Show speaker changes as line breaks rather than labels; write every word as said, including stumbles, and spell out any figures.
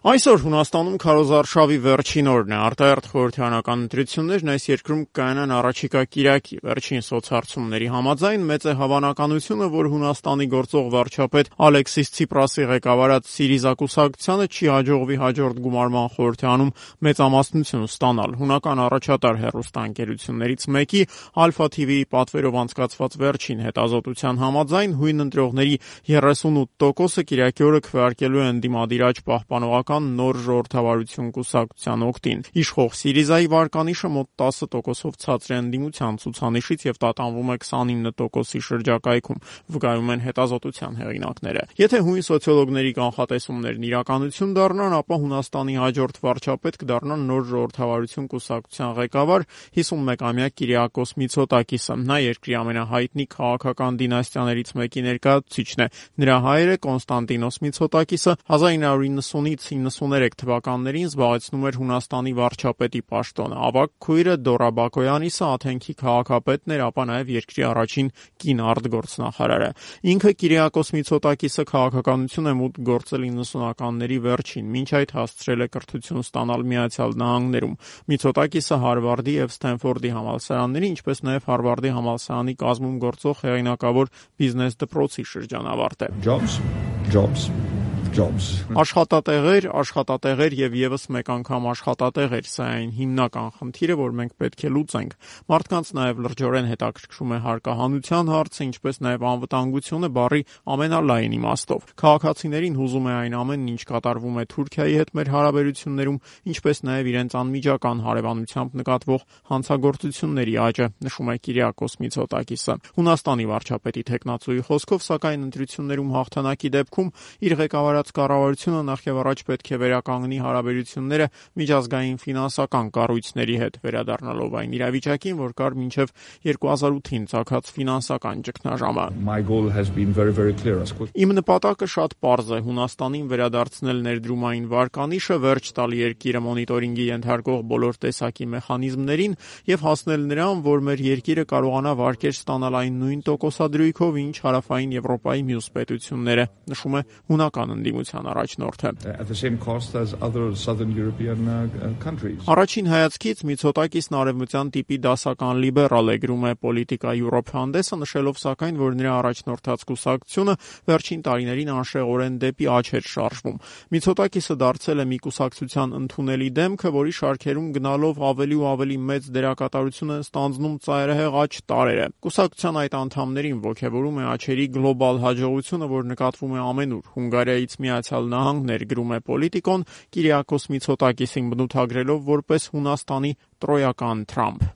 Այսօր Հունաստանում քարոզարշավի վերջին օրն է, արտահերթ խորհրդարանական ընտրություններն այս երկրում կայանան առաջիկա կիրակի։ Վերջին սոցհարցումների համաձայն մեծ է հավանականությունը, որ Հունաստանի գործող վարչապետ Ալեքսիս Ցիպրասի ղեկավարած Սիրիզա կուսակցությանը չի հաջողվի հաջորդ գումարման խորհրդարանում մեծամասնություն ստանալ։ Հունական առաջատար հեռուստաընկերություններից մեկի Ալֆա թի վիի պատվերով անցկացված վերջին հետազոտության համաձայն հույն ընտրողների երեսունութ տոկոսը կիրակի օրը քվեարկելու են ընդդիմադիր աճ պահպանողական նոր ժողովրդավարություն կուսակցության օգտին։ Իշխող Սիրիզայի վարկանիշը մոտ տասը տոկոսով ցածր է ընդդիմության ցուցանիշից եւ տատանվում է քսանինը տոկոսի շրջակայքում, վկայում են հետազոտության հեղինակները։ Եթե հույն սոցիոլոգների կանխատեսումներն իրականություն դառնան, ապա Հունաստանի հաջորդ վարչապետ կդառնա նոր ժողովրդավարություն կուսակցության ղեկավար հիսունմեկամյա Կիրիակոս Միցոտակիսը։ Նա երկրի ամենահայտնի քաղաքական դինաստիաներից մեկի ներկայացուցիչն է։ Նրա հայրը Կոնստանտինոս Միցոտակիսը հազար նույն հարյուր նվաթից իննսուներեք թվականներին զբաղեցնում էր Հունաստանի վարչապետի պաշտոնը։ Ավագ քույրը Դորա Բակոյանիսը Աթենքի քաղաքապետն էր, ապա նաև երկրի առաջին կին արտգործնախարարը։ Ինքը Կիրիակոս Միցոտակիսը քաղաքականություն է մուտք գործել իննսունականների վերջին, մինչ այդ հասցրել է կրթություն ստանալ Միացյալ Նահանգներում։ Միցոտակիսը Հարվարդի եւ Սթենֆորդի համալսարանների, ինչպես նաև Հարվարդի համալսարանի կազմում գործող հեղինակավոր բիզնես դպրոցի շրջանավարտ է։
Jobs, jobs. Jobs.
Աշխատատեղեր, աշխատատեղեր եւ եւս մեկ անգամ աշխատատեղեր, սա այն հիմնական խնդիրը, որ մենք պետք է լուծենք։ Մարդկանց նաեւ լրջորեն հետաքրքրում է հարկահանության հարցը, ինչպես նաեւ անվտանգությունը բառի ամենալայն իմաստով։ Քաղաքացիներին հուզում է այն ամենն, ինչ կատարվում է Թուրքիայի հետ մեր հարաբերություններում, ինչպես նաեւ իրենց անմիջական հարևանությամբ նկատվող հանցագործությունների աճը, նշում է Կիրիակոս Միցոտակիսը։ Հունաստանի վարչապետի թեկնածուի խոսքով, սակայն ընտրություններում հաղթանակի դեպքում իր ղեկավարած կառավարությունը նախևառաջ պետք է վերականգնի հարաբերությունները միջազգային ֆինանսական կառույցների հետ, վերադառնալով այն իրավիճակին, որ կար մինչև երկու հազար ութին ծագած ֆինանսական ճգնաժամը։ Իմ նպատակը շատ պարզ է՝ Հունաստանին վերադարձնել ներդրումային վարկանիշը, վերջ տալ երկիրը մոնիտորինգի ենթարկող բոլոր տեսակի մեխանիզմներին եւ հասնել նրան, որ մեր երկիրը կարողանա վարկեր ստանալ այն նույն տոկոսադրույքով, ինչ հարավային Եվրոպայի մյուս պետությունները, նշում է հունական ընդդիմության առաջնորդը։ Առաջին հայացքից Միցոտակիսն արևմտյան տիպի դասական լիբերալ է, գրում է Politico Europe հանդեսը, նշելով սակայն, որ նրա առաջնորդած կուսակցությունը վերջին տարիներին անշեղորեն դեպի աճ էր շարժվում։ Միցոտակիսը դարձել է մի կուսակցության ընդունելի դեմքը, որի շարքերում գնալով ավելի ու ավելի մեծ դերակատարություն են ստանձնում ծայրահեղ աճ տարրերը։ Կուսակցության այդ անդամներին ոգևորում է աճերի գլոբալ հաջողությունը, որ նկատվում է ամենուր։ Հունգարիայից Միացյալ Նահանգներ, գրում է Պոլիտիկոն, Կիրիակոս Միցոտակիսին բնութագրելով որպես Հունաստանի տրոյական Թրամփ։